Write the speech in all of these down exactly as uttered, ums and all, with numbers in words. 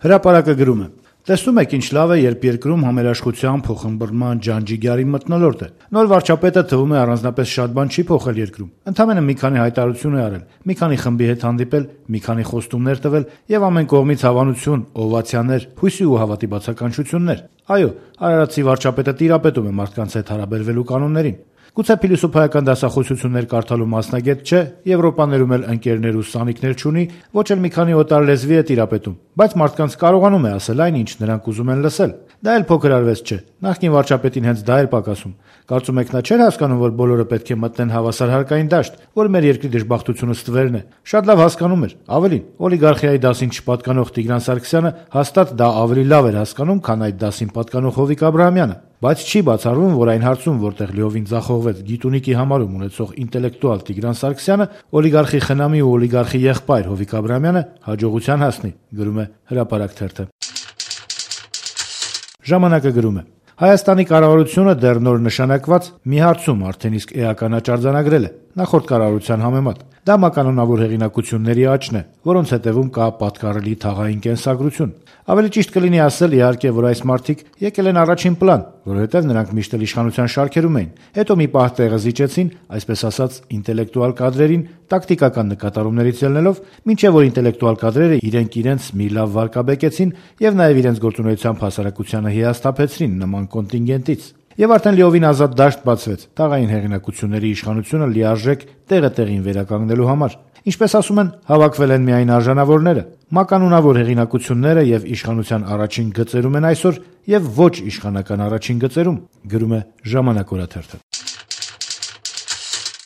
Հրապարակը գրում է. «Տեսնում եք, ինչ լավ է, երբ երկրում համերաշխության, փոխըմբռնման, ջանջիգյարի մթնոլորտ է։ Նոր վարչապետը թվում է առանձնապես շատ բան չի փոխել երկրում։ Ընդամենը մի քանի հայտարարություն է արել, մի քանի խմբի հետ հանդիպել, մի քանի խոստումներ տվել եւ ամեն կողմից հավանություն, օվացիաներ, հույսի ու հավատի բացականչություններ։ Այո, արարածի վարչապետը տիրապետում է մարդկանց հետ հարաբերվելու կանոններին։ Գուցե փիլիսոփայական դասախոսություններ կարդալու մասնագետ չէ, Եվրոպաներում էլ ընկերներ ու սանիկներ չունի, ոչ էլ մի քանի օտար լեզվի է տիրապետում, բայց մարդկանց կարողանում է ասել այն, ինչ նրանք ուզում են լսել։ Դա էլ փոքր արվեստ չէ։ Նախկին վարչապետին հենց դա էր պակասում։ Կարծում եք նա չէր հասկանում, որ բոլորը պետք է մտնեն հավասար հարկային դաշտ, որ մեր երկրի դժբախտությունը ստվերն է։ Շատ լավ հասկանում էր։ Ավելին, օլիգարխիայի դասին չպատկանող Տիգրան Սարգսյանը հաստատ դա ավելի լավ էր հասկանում, քան այդ դասին պատկանող Հովիկ Աբրահամյանը։ Բայց չի բացառվում, որ այն հարցում, որտեղ լիովին ձախողվեց գիտունիկի համարում ունեցող ինտելեկտուալ Տիգրան Սարգսյանը, օլիգարխի խնամի ու օլիգարխի եղբայր Հովիկ Աբրահամյանը հաջողության հասնի, գրում է Հրապարակ թերթը։ Ժամանակը գրում է. Հայաստանի կառավարությունը դեռ նոր նշանակված մի հարցում արդեն իսկ էականաչ արձանագրել է նախորդ կառավարության համեմատ։ Դա մականոնավոր հեղինակությունների աճն է, որոնց հետևում կա պատկառելի թաղային կենսագրություն։ Ավելի ճիշտ կլինի ասել, իհարկե, որ այս մարդիկ եկել են առաջին պլան, որովհետև նրանք միշտ էլ իշխանության շարքերում էին, հետո մի պահ տեղը զիջեցին, այսպես ասած, ինտելեկտուալ կադրերին, տակտիկական նկատառումներից ելնելով, մինչև որ ինտելեկտուալ կադրերը իրենք իրենց մի լավ վարկաբեկեցին եւ նաեւ իրենց գործունեությամբ հասարակությանը հիասթափեցրին նման կոնտինգենտից։ Եվ արդեն լիովին ազատ դաշտ բացվեց թաղային հեղինակությունների իշխանությունը լիարժեք տեղը տեղին վերականգնելու համար։ Ինչպես ասում են, հավաքվել են միայն արժանավորները։ Մականունավոր հեղինակությունները եւ իշխանության առաջին գծերում են այսօր եւ ոչ իշխանական առաջին գծերում, գրում է Ժամանակ օրաթերթը։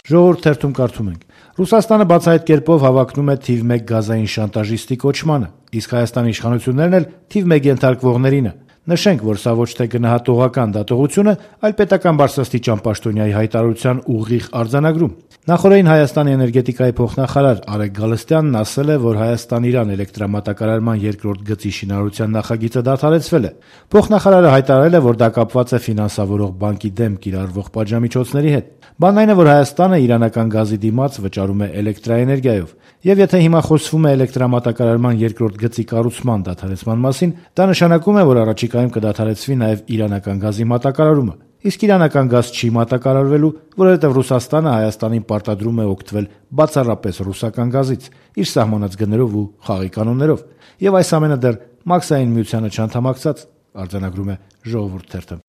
Ժողովուրդ թերթում կարդում ենք. Ռուսաստանը բացահայտ կերպով հավակնում է թիվ մեկ գազային շանտաժիստի կոչմանը, իսկ Հայաստանի իշխանություններն էլ թիվ մեկ ենթարկվողներինը։ Նշենք, որ սա ոչ թե գնահատողական դատողություն է, այլ պետական բարձրաստիճան պաշտոնյայի հայտարարության ուղիղ արձանագրում։ Նախորդին Հայաստանի էներգետիկայի փոխնախարար Արեգ Գալստյանն ասել է, որ Հայաստան-Իրան էլեկտրամատակարարման երկրորդ գծի շինարարության նախագիծը դադարեցվել է։ Փոխնախարարը հայտարարել է, որ դա կապված է ֆինանսավորող բանկի դեմ կիրառվող պատժամիջոցների հետ։ Բանն այն է, որ Հայաստանը իրանական գազի դիմաց վճարում է էլեկտրաէներգիայով, եւ եթե հիմա խոսվում է էլեկտրամատակարարման երկրորդ գծի կառուցման դադարեցման մասին, դա նշանակում է, որ առաջիկայում կդադարեցվի նաեւ իրանական գազի մատակարարումը։ Իսկ իրանական գազ չի մատակարարվելու, որովհետև Ռուսաստանը Հայաստանին պարտադրում է օգտվել բացառապես ռուսական գազից, իր սահմանած գներով ու խաղի կանոններով, եւ այս ամենը դեռ Մաքսային միությանը չանդամակցած, արձանագրում է Ժողովուրդ թերթը։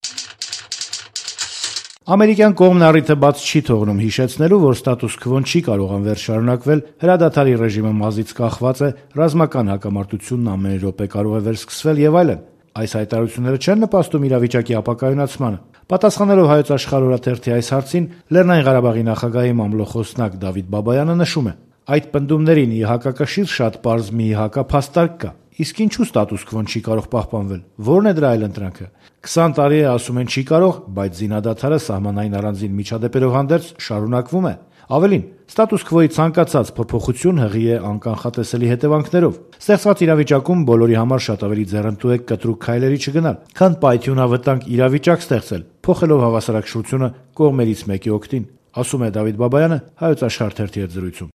Ամերիկյան կողմն առիթը բաց չի թողնում հիշեցնելու, որ ստատուս քվոն չի կարող անվերջ շարունակվել, հրադադարի ռեժիմը մազից կախված է, ռազմական հակամարտությունն ամեն րոպե կարող է վերսկսվել եւ այլն։ Այս հայտարարությունները չեն նպաստում իրավիճակի ապակայունացմանը։ Պատասխանելով Հայոց Աշխարհ օրաթերթի այս հարցին, Լեռնային Ղարաբաղի նախագահի մամլո խոսնակ Դավիթ Բաբայանը նշում է. այդ պնդումներին ի հակակշիռ շատ պարզ մի հակափաստարկ կա։ Իսկ ինչու ստատուս քվոն չի կարող պահպանվել։ Որն է դրա այլընտրանքը։ քսան տարի է ասում են չի կարող, բայց զինադադարը սահմանային առանձին միջադեպերով հանդերձ շարունակվում է։ Ավելին, ստատուս քվոյի ցանկացած փոփոխություն հղի է անկանխատեսելի հետևանքներով։ Ստեղծված իրավիճակում բոլորի համար շատ ավելի ձեռնտու է կտրուկ քայլերի չգնալ, քան պայթյունավտանգ իրավիճակ ստեղծել, փոխելով հավասարակշռությունը կողմերից մեկի օգտին, ասում է Դավիթ Բաբայանը Հայոց Աշխարհ թերթի հետ զրույցում։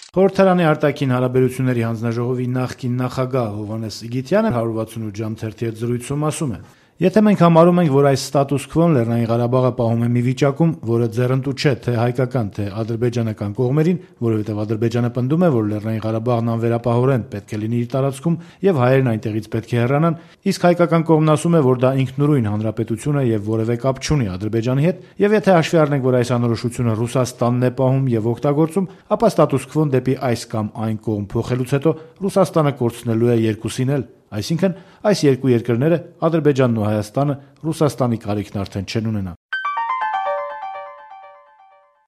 Խորհրդարանի արտաքին հարաբերությունների հանձնաժողովի նախկին նախագահ Հովհաննես Իգիթյանը հարյուր վաթսունութ ժամ թերթի հետ զրույցում ասում է. Եթե մենք համարում ենք, որ այս ստատուս քվոն Լեռնային Ղարաբաղը պահում է մի վիճակում, որը ձեռնտու չէ թե հայկական, թե ադրբեջանական կողմերին, որովհետև Ադրբեջանը պնդում է, որ Լեռնային Ղարաբաղն անվերապահորեն պետք է լինի իր տարածքում եւ հայերն այնտեղից պետք է հեռանան, իսկ հայկական կողմն ասում է, որ դա ինքնուրույն հանրապետություն է եւ որևէ կապ չունի Ադրբեջանի հետ, եւ եթե հաշվի առնենք, որ այս անորոշությունը Ռուսաստանն է պահում եւ օգտագործում, ապա ստատուս քվոն դեպի այս կամ այն կողմ փոխելուց հետո Ռուսաստանը կորցնելու է երկուսին էլ։ Այսինքն, այս երկու երկրները, Ադրբեջանն ու Հայաստանը, Ռուսաստանի կարիքն արդեն չեն ունենա։